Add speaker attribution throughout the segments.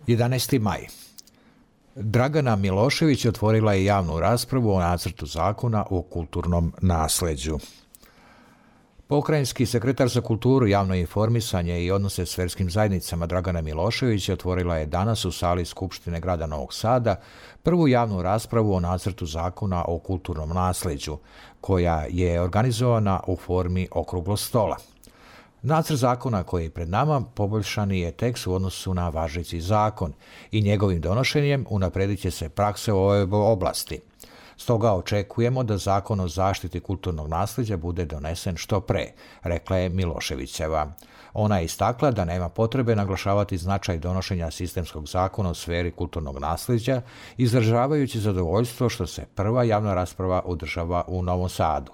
Speaker 1: 11. maj. Dragana Milošević otvorila je javnu raspravu o nacrtu zakona o kulturnom nasleđu. Pokrajinski sekretar za kulturu, javno informisanje i odnose s verskim zajednicama Dragana Milošević otvorila je danas u sali Skupštine grada Novog Sada prvu javnu raspravu o nacrtu zakona o kulturnom nasleđu, koja je organizovana u formi okruglog stola. Nacrt zakona koji je pred nama poboljšani je tekst u odnosu na važeći zakon i njegovim donošenjem unaprijedit će se prakse u ovoj oblasti. Stoga očekujemo da zakon o zaštiti kulturnog nasljeđa bude donesen što pre, rekla je Miloševićeva. Ona je istakla da nema potrebe naglašavati značaj donošenja sistemskog zakona u sferi kulturnog nasljeđa, izražavajući zadovoljstvo što se prva javna rasprava održava u Novom Sadu.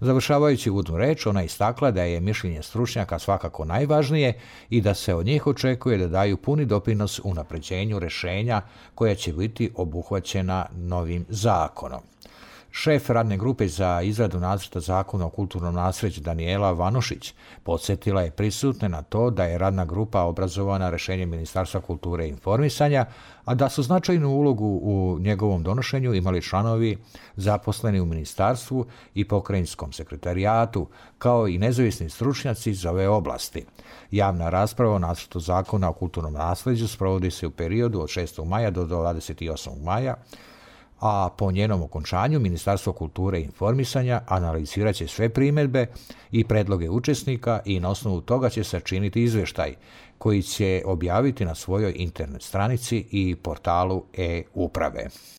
Speaker 1: Završavajući uvodnu reč, ona je istakla da je mišljenje stručnjaka svakako najvažnije i da se od njih očekuje da daju puni doprinos unapređenju rješenja koja će biti obuhvaćena novim zakonom. Šef radne grupe za izradu nacrta zakona o kulturnom naslijeđu Danijela Vanušić podsjetila je prisutne na to da je radna grupa obrazovana rješenjem Ministarstva kulture i informisanja, a da su značajnu ulogu u njegovom donošenju imali članovi zaposleni u ministarstvu i pokrajinskom sekretarijatu, kao i nezavisni stručnjaci iz ove oblasti. Javna rasprava o nacrtu zakona o kulturnom naslijeđu sprovodi se u periodu od 6. maja do 28. maja, a po njenom okončanju Ministarstvo kulture i informisanja analizirat će sve primjedbe i predloge učesnika i na osnovu toga će sačiniti izvještaj koji će objaviti na svojoj internet stranici i portalu e-uprave.